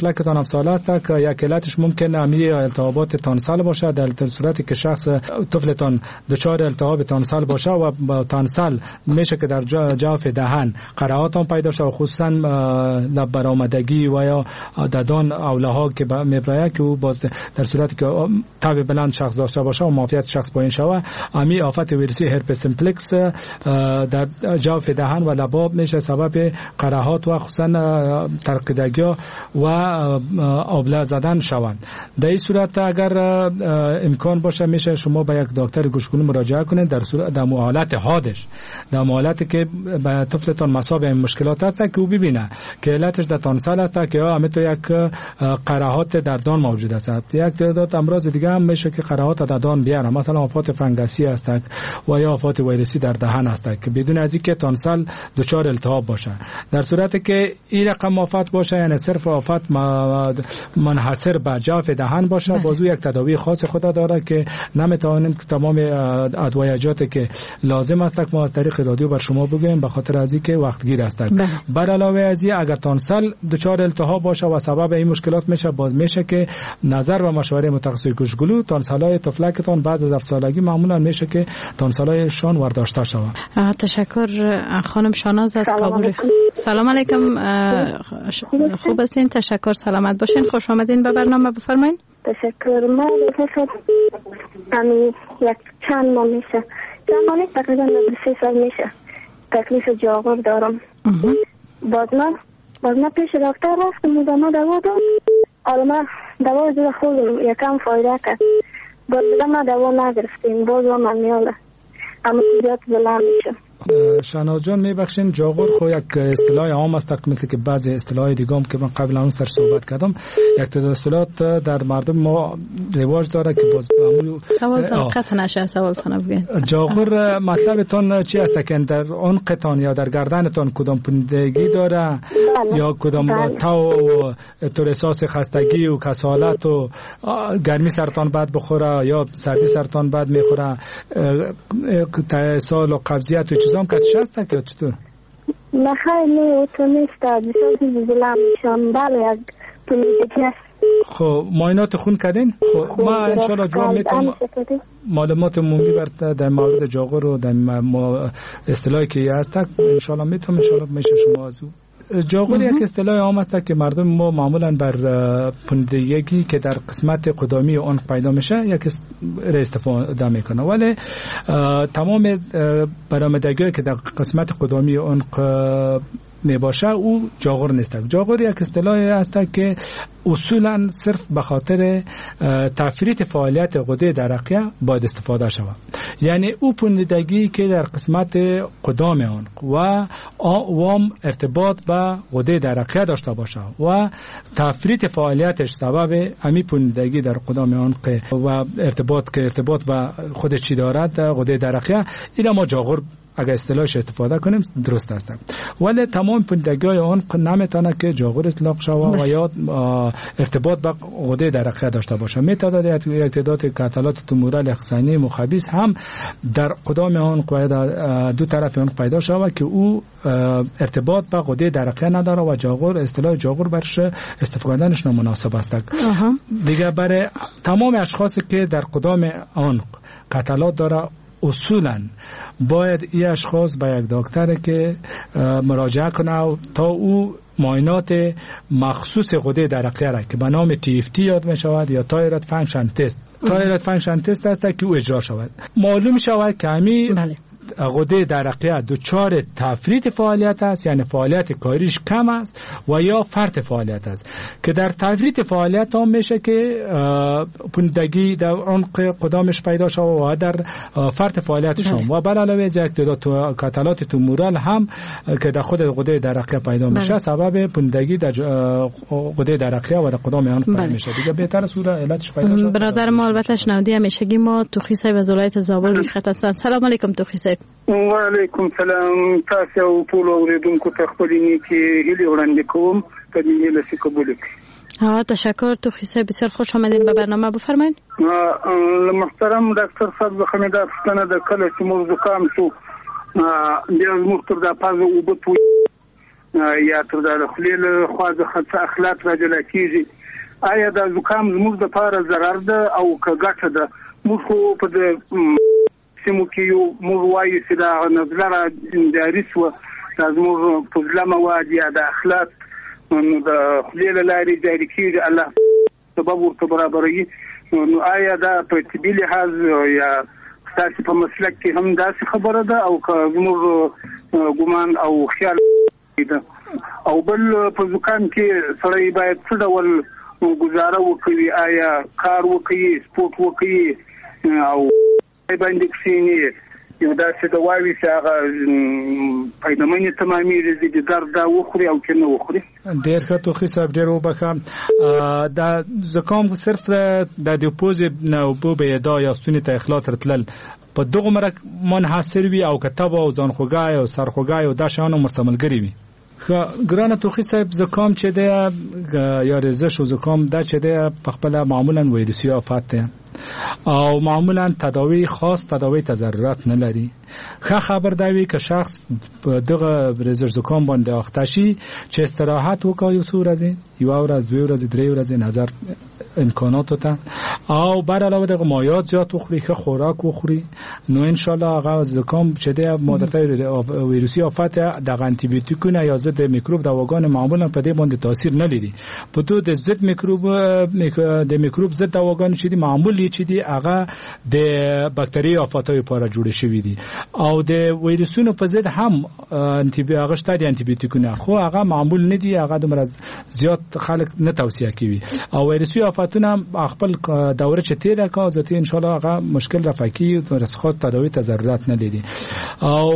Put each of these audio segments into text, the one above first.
طفلکتان 7 ساله است که یک علتش ممکن امی التهابات تانسل باشه. در صورتی که شخص طفلتان دچار التهاب تانسل باشه و با تانسل میشه که در جاف دهن قرعات هم پیدا شه، خصوصا لب برآمدگی و یا ددان اولها که میبرایه که او باز در صورتی که تب بلند شخص داشته باشه و معافیت شخص پایین شوه، امی آفت ویروسی هرپس سیمپلکس در جاف دهن و لباب میشه سبب قرعات و خصوصا ترقیدگی و آبله زدن شوند. در این صورت اگر امکان باشه میشه شما به یک دکتر گوشگونی مراجعه کنید. در صورت در حالت حادش، در حالتی که به طفلتان مصاب این مشکلات هست که او ببینه که علتش در تانسل است که همه تو یک قرحات در دان موجود است. یک تعداد امراض دیگه هم میشه که قرحات در دان بیاره، مثلا آفات فنگسی است و یا آفات ویروسی در دهن است که بدون از اینکه تانسل دچار التهاب باشه. در صورتی که این رقم آفات باشه، یعنی صرف آفات منحصر به جاف دهن باشه، بازو یک تداوی خاص خود داره که نمیتوانیم که تمام ادویجات که لازم است که ما از طریق رادیو بر شما بگوییم به خاطر از اینکه وقتگیر است. بر علاوه از این اگر تانسل دچار التهاب باشه و سبب این مشکلات میشه، باز میشه که نظر و مشوره متخصص گوشگلو تانسلای طفلکتان بعد از 7 سالگی معمولا میشه که تانسلایشان ورداشته شود. تشکر خانم شاناز از کابل. سلام علیکم، خوب هستین؟ تشکر، سلامت باشین. خوش آمدین به برنامه، بفرمایین. تشکر. ما یک چند ماه میشه، چند ماه تقریبا 3 سال میشه تکلیف جاغور دارم. باز من پیش دکتر رفتم و ما دوا داد. حالا من دوا جو خوردم، یکم فایده کرد. باز ما دوا نگرفتیم، باز من میاله اما زیاد بلند میشه. شهناز جان میبخشین، جاغور خو یک اصطلاح عام است، مثل که بعضی اصطلاح دیگه هم که من قبلا اون سر صحبت کردم، یک تعداد اصطلاحات در مردم ما رواج داره که باز سوالتون قطع نشه، سوالتون بگین. جاغور مطلبتون چی است که در عنقتان یا در گردنتان کدام پندگی داره یا کدام تاو تو احساس خستگی و کسالت و گرمی سرطان بد بخوره یا سردی سرطان بد میخوره، تسال و قبضیت و چیزام کسش هست که چطور؟ نه خیلی تو نیست، بسیار بلند میشم. بله یک پولیدگی است. خب معاینات خون کردین؟ خب ما انشالله جواب میتونم معلومات عمومی بر در مورد جاغور و در اصطلاحی که هست انشالله میتونم، انشالله میشه شما از او. جاغور یک اصطلاح عام است که مردم ما معمولا بر پندگی که در قسمت قدامی آن پیدا میشه یک استفاده میکنه، ولی تمام برآمدگی که در قسمت قدامی آن میباشه او جاغور نیست. جاغور یک اصطلاح است که اصولا صرف به خاطر تفریط فعالیت غده درقیه باید استفاده شود، یعنی او پندگی که در قسمت قدام آن و وام ارتباط به غده درقیه داشته باشه و تفریط فعالیتش سبب امی پندگی در قدام آن و ارتباط که ارتباط به خود چی دارد غده درقیه، این ما جاغور اگر اصطلاحش استفاده کنیم درست است. ولی تمام پندگی‌های آن نمیتونه که جاغور اطلاق شود و یا ارتباط با غده درقیه داشته باشه. میتونه یک تعداد کاتالات تومورال اقصانی مخابیس هم در قدام آن دو طرف آن پیدا شود که او ارتباط با غده درقیه نداره و جاغور اصطلاح جاغور برش استفاده کردنش نامناسب است. دیگه برای تمام اشخاصی که در قدام آن کاتالات داره اصولا باید این اشخاص به یک دکتر که مراجعه کنه تا او معاینات مخصوص غده درقیه را که به نام TFT یاد می شود یا thyroid function test، thyroid function test است که او اجرا شود، معلوم شود که همی غده درقیه دچار تفریط فعالیت است، یعنی فعالیت کاریش کم است و یا فرط فعالیت است که در تفریط فعالیت هم میشه که پندگی در عمق قدامش پیدا شود و در فرط فعالیتش هم و بر علاوه از یک تعداد کاتالات تومورال هم که در خود غده درقیه پیدا میشه سبب پندگی در غده درقیه و در قدام آن پیدا میشه. دیگه بهتر است علتش پیدا شود. برادر ما البته شنودی همیشگی ما توخی صاحب از ولایت زابل روی خط هستند. سلام علیکم توخی صاحب. وعلیکم سلام. تاسو او ټول اوریدونکو ته خپلې نیکې هیلې وړاندې کوم، په دې هیله چې قبول کړي. تشکر توخی صاحب، بسیار خوش آمدین به برنامه، بفرمایید. محترم ډاکټر صاحب څخه مې دا پوښتنه ده، کله چې موږ زکام شو بیا زموږ تر دا پزه اوبه توی یا تر د خولې له خوا څخه څه اخلاط را جلا کېږي، آیا دا زکام زموږ دپاره ضرر ده او که ګټه ده؟ موږ خو په دې سیمو کې یو، موږ وایو چې دا نزله را جاري شوه، دا زموږ فضله مواد یا د اخلاط نو د خولې له لارې جاري کېږي، الله سبب ورته برابروي. نو آیا دا په طبي لحاظ یا ستاسې په مسلک کې هم داسې خبره ده او که زموږ ګمان او خیال ده؟ او بل په زکام کې سړی باید څه ډول ګزاره وکړي؟ آیا کار وکړي، سپورت وکړي او باندې کښېني، یو داسې دوا وي چې هغه فایدهمنې تمامېږي، د درد دا وخوري او که نه وخوري؟ ډېر ښه توخي صاحب، ډېر وبخښه. دا زکام صرف د پوزې نه اوبه بهېدا یا ستوني ته اخلاط راتلل په دغه مرک منحصر وي او که تبه او ځانخوږی او سرخوږی او دا شیان هم ورسره ملګري وي؟ ښه ګرانه توخي صاحب، زکام چې دی یا ریزش او زکام دا چې دی په خپله معمولا ویروسي آفت دی او معمولا تداوی خاص تداوی ته ضرورت نه لري. ښه خبر دا وي که شخص په دغه ریزش زکام باندې اخته شي چې استراحت وکړي یو څو ورځې، یوه ورځ، دوې ورځې، درې ورځې نظر امکاناتو ته، او بر علاوه دغه مایعات زیات وخوري، ښه خوراک وخوري، نو ان شاء الله هغه زکام چې دی مادرته ویروسي آفت دغه انتیبیوتیکونه یا ضد میکروب دواګان معمولا په دې باندې تاثیر نه لري. په دو د ضد میکروب د میکروب ضد دواګان چې دي معمول چې دي هغه د بکتري آفاتو لپاره جوړ شوي دي او د ویروسونو په ضد هم هغه شته دي انتیبیوتیکونه، خو هغه معمول نه دي، هغه دومره زیات خلک نه توصیه کوي. او ویروسي آفتونه خپل دوره چې تیره کا ذاتی ان شاء الله هغه مشکل رفع کیږي، خاص تداوی ته ضرورت نه لري. او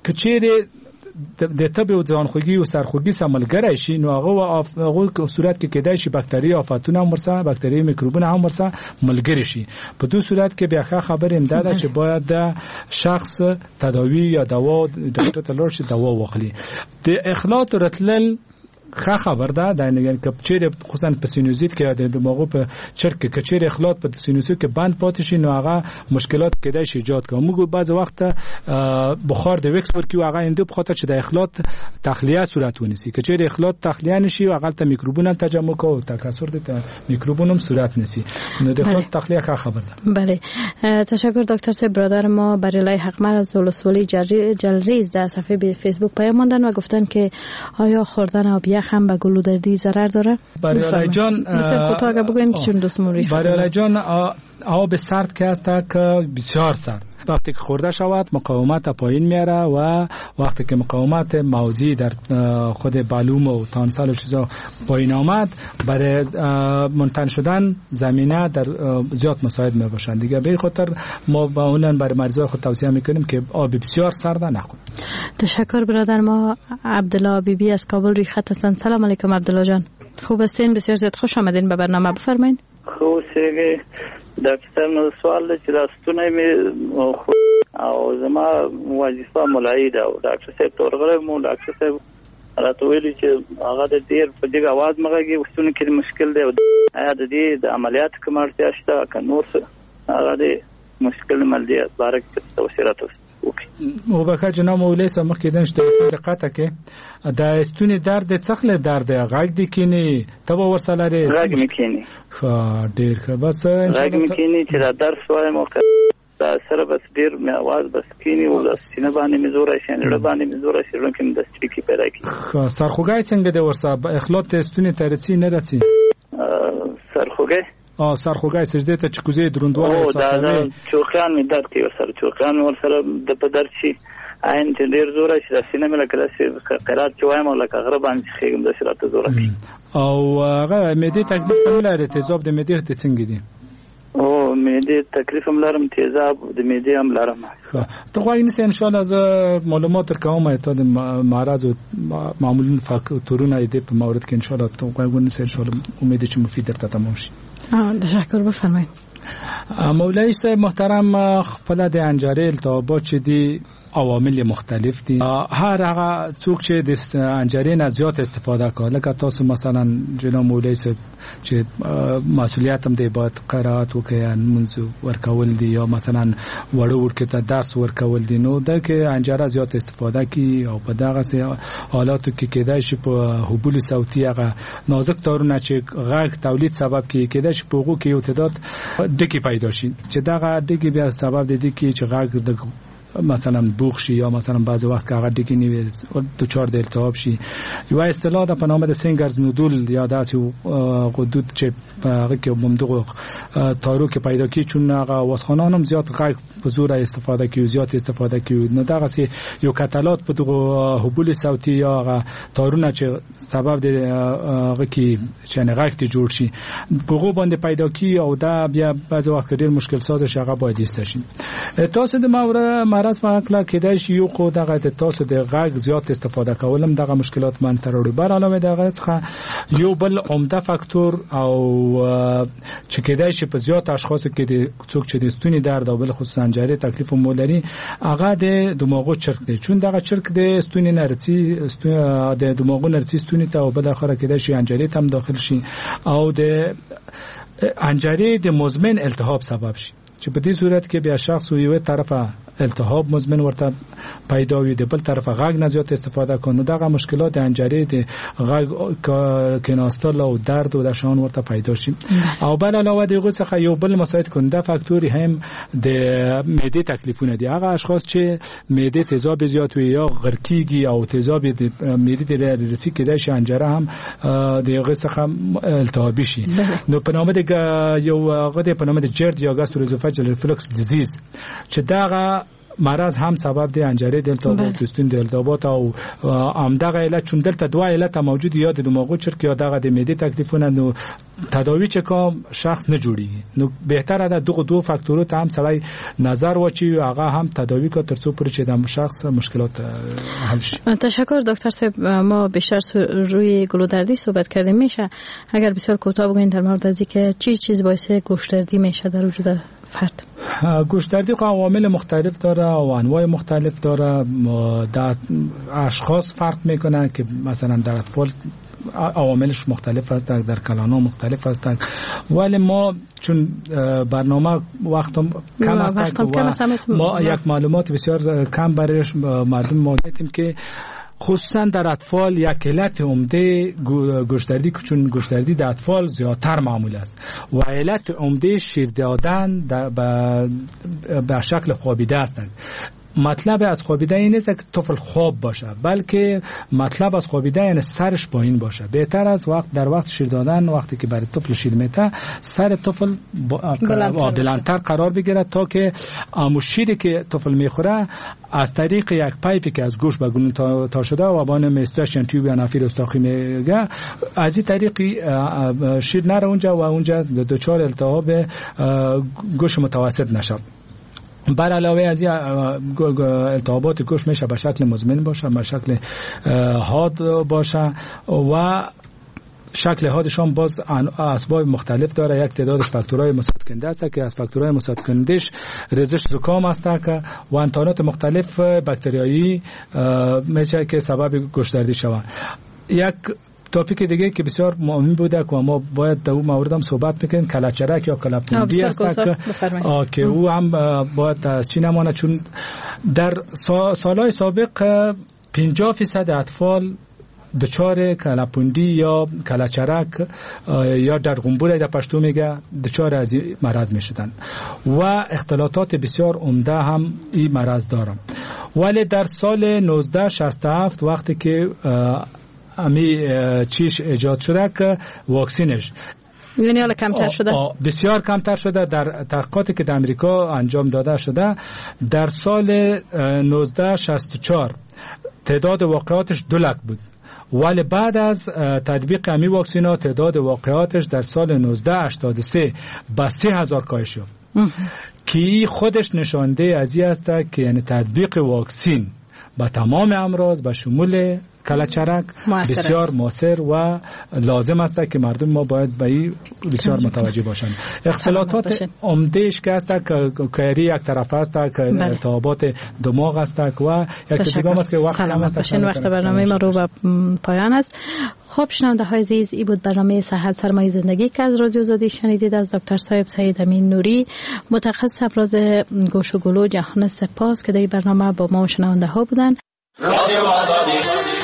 کچېرې د تبې او ځانخوږي او سرخوږي سره ملګری شي نو هغه صورت کې کېدای شي بکتري آفتونه هم ورسره، بکتري میکروبونه هم ورسره ملګري شي. په دې صورت کې بیا ښه خبر هم دا ده چې باید د شخص تداوی یا دوا ډاکټر ته لاړ شي، دوا واخلي. د اخلاط راتلل ښه خبر ده، دا یعنی که چیرې خصوصا په سینوزیت کې یا د دماغو په چرک کې که چیرې اخلاط په سینوسو کې بند پاتې شي نو هغه مشکلات کېدای شي ایجاد کړي. موږ بعضې وخت بخار د ویکس ورکوو هغه هندو په خاطر چې د اخلاط تخلیه صورت ونیسي. که چیرې اخلاط تخلیه نشي هغه ته میکروبونه تجمع کوي او تکثر د میکروبونو هم صورت نیسي. نو د اخلاط تخلیه ښه خبر ده. بله، تشکر دکتر صاحب. برادر ما بریلای حقمر از ولسوالی جلریز در صفحه فیسبوک پیام ماندن و گفتن که آیا خوردن آب یخ هم به گلودردی ضرر داره؟ بریالای جان، بسیار کوتاه اگر بگوین چون دوستمون روی خط بریالای جان، آب سرد که هست که بسیار سرد وقتی که خورده شود مقاومت پایین میاره و وقتی که مقاومت موضعی در خود بلوم و تانسل و چیزا پایین آمد برای منتن شدن زمینه در زیاد مساعد می باشند دیگه. به خاطر ما معمولا برای مریضای خود توصیه میکنیم که آب بسیار سرد نخورند. تشکر برادر ما عبدالله بیبی از کابل روی خط هستند. سلام علیکم عبدالله جان، خوب هستین؟ بسیار زیاد خوش آمدین به برنامه، بفرمایین. خوب سیګه ډاکټر نو سوال چې دا ستونی مې او زما وظیفه ملایي ده او ډاکټر صاحب ته ورغلی مو، ډاکټر صاحب راته ویلي چې هغه د ډېر په جګ اواز مه غږېږي، ستوني کې مشکل دی. آیا د دې د عملیات کومه اړتیا شته که نور څه؟ هغه د مشکل ملدي باره کې توصیه راته وکړي. وبخښه جناب مولوي صاحب، مخکې دنش تلفون دقت کې د ستوني درد څخه درد دی، غږ دی کینی ته به ورسره لرې؟ غږ مې کینی. ښه ډېر ښه، بس غږ مې کینی چې دا درس وایم او دا سره بس ډېر مې اواز بس کینی او د سینه باندې مې زور راشي، زړه باندې مې زور راشي، زړه کې مې د ستړي پیدا کیږي. ښه، سرخوږی څنګه دی ورسره؟ اخلاط ته ستوني ته رسي نه رسي؟ سرخوږی؟ سرخوږی سجدې ته چې کوزې دروندوالی احساسوي؟ چوقیان مې درد کوي ورسره، چوقیان مې ورسره د په درد شي، عین چې ډېر زور راشي، دا سینه مې لکه داسې قرات چې وایم او لکه غره باندې چې خېږم داسې راته زور راشي. او هغه معدې تکلیف هم لري؟ تیزاب د معدې ته څنګه دي؟ او معدې تکلیف هم لرم، تیزاب د معدې هم لرم. ښه، ته غواړې نیسې ان شاء الله زه معلومات درکوم تا د مرض او معمولا فاکتورونه دې په مورد کې ان شاء الله ته غواړې ونیسې، ان شاء الله امید چې مفید درته تمام شي. تشکر، بفرمایید. مولوی صاحب محترم، خپل د انجارې التهابات چې دي عوامل مختلف دي. هر هغه څوک چې د انجرې نه زیات استفاده کوي، لکه تاسو مثلا جناب مولوی صاحب چې مسؤلیت هم دی باید قرائت وکړي، لمونځ ورکول دي، یا مثلا وړو وړکي ته درس ورکول دي، نو دا کې انجره زیات استفاده کوي او په دغسې حالاتو کې کېدای شي په حبول صوتي هغه نازک تارونه چې غږ تولید سبب کې کېدای شي په هغو کې یو تعداد ډکې پیدا شي، چې دغه ډکې بیا سبب د دې کې چې غږ د مثلا بوخ شي یا مثلا بعضی وخت که هغه ډکې نه وي دچار د التهاب شي. یو اصطلاح ده په نامه د سینګرز نودول یا داسې غدود چې په هغه کې همدغو تارو کې پیدا کیږي، چون هغه واسخانان هم زیات غږ په زوره استفاده کوي، زیات استفاده کوي، نو دغسې یو کتلات په دغو حبول صوتي یا هغه تارونه چې سبب د هغه کې چې یعنې غږ ته جوړ شي په هغو باندې پیدا کیږي او دا بیا بعضی وخت ډېر مشکل ساز شي، هغه باید ایسته شي. تاسو د مرض په هکله کېدای شي یو خو دغه د تاسو د غږ زیات استفاده کولم دغه مشکلات منځ ته راوړي. بر علاوه دغه څخه یو بل عمده فاکتور او چې کېدای شي په زیات اشخاصو کې د څوک چې د ستوني درد او بل خصوصا حنجرې تکلیف مو لري، هغه د دماغو چرک دی، چون دغه چرک د ستوني نه رسي، د دماغو نه رسي ستوني ته او بل اخره کېدای شي حنجرې ته هم داخل شي او د حنجرې د مزمن التهاب سبب شي، چې په دې صورت کې بیا شخص یو طرفه التهاب مزمن ورته پیدا وي، د بل طرفه غږ نه زیات استفاده کوي، نو دغه مشکلات د حنجرې د غږ کیناستل او درد او د شان ورته پیدا شي. او بل علاوه د هغو څخه یو بل مساعد کننده فاکتور هم د معدې تکلیفونه دي. هغه اشخاص چې معدې تیزاب زیات وي یا غرقیږي او تیزاب د معدې ته رسي، کېدای شي حنجره هم د هغه څخه التهابي شي. نو په نامه د یو هغه د په نامه د GERD یا gastroesophageal reflux disease چې دغه مرض هم سبب دی حنجره د التهابات، ستون د التهابات او همدغه علت، چون دلته دوه علت موجود، یا د دماغو چرک یا دغه د معدې تکلیفونه، نو تداوی چې کوم شخص نه جوړیږي، نو بهتره ده دغه دوه فاکتورو ته هم سړی نظر واچوي، هغه هم تداوی کړي ترڅو پورې چې د شخص مشکلات حل شي. تشکر دکتر صاحب. ما بیشتر روی گلودردی صحبت کردیم، میشه اگر بسیار کوتاه بگوین در مورد از اینکه چی چیز باعث گوش‌دردی میشه در وجود فرد؟ گوش‌دردی خب عوامل مختلف داره و انواع مختلف داره، در اشخاص فرق میکنه که مثلا در اطفال عواملش مختلف است، در کلان‌ها مختلف است، ولی ما چون برنامه وقتم کم است و ما یک معلومات بسیار کم برای مردم ما دادیم که خصوصا در اطفال یک علت عمده گوش‌دردی، چون گوش‌دردی در اطفال زیادتر معمول است و علت عمده شیر دادن به شکل خوابیده است. مطلب از خوابیده این نیست که طفل خواب باشه، بلکه مطلب از خوابیده یعنی سرش پایین باشه. بهتر از وقت در وقت شیر دادن، وقتی که برای طفل شیر میته، سر طفل بلندتر قرار بگیره تا که امو شیری که طفل میخوره از طریق یک پایپی که از گوش به گلون تا شده و با نام Eustachian tube یا نافیر استاخی میگه، از این طریق شیر نره اونجا و اونجا دچار التهاب گوش متوسط نشه. بر علاوه از التهابات گوش میشه به شکل مزمن باشه، به شکل حاد باشه و شکل حادش هم باز اسباب مختلف داره. یک تعدادش فاکتورهای مساعد کننده است که از فاکتورهای مساعد کنندش ریزش زکام است که و انتانات مختلف باکتریایی میشه که سبب گوش‌دردی شود. یک topic دیگه که بسیار مهم بوده که ما باید در اون مورد هم صحبت بکنیم، کله‌چرک یا کله‌پوندی است که او هم باید از چی نمانه، چون در سالهای سابق 50% اطفال دچار کله‌پوندی یا کله‌چرک یا درغنبور در پشتو میگه دچار از این مرض میشدن و اختلاطات بسیار عمده هم این مرض دارن. ولی در سال 1967 وقتی که امی چیش ایجاد شده که واکسینش یعنی حالا کمتر شده، بسیار کمتر شده. در تحقیقاتی که در امریکا انجام داده شده در سال 1964 تعداد واقعاتش 2 لک بود، ولی بعد از تطبیق امی واکسینا تعداد واقعاتش در سال 1983 به 3000 کاهش یافت که خودش نشانده از این است که یعنی تطبیق واکسین به تمام امراض به شمول کلچرک بسیار موثر و لازم است که مردم ما باید به این بسیار متوجه باشند. اختلاطات عمدهش که است که یک طرف است که التهابات دماغ است و یک دیگه است که وقت کم است. وقت برنامه ما رو به پایان است. خب شنونده های عزیز، ای بود برنامه صحت سرمایه زندگی که از رادیو آزادی شنیدید. از دکتر صاحب سید امین نوری، متخصص امراض گوش و گلو جهان سپاس که در این برنامه با ما و شنونده ها بودند. رادیو آزادی.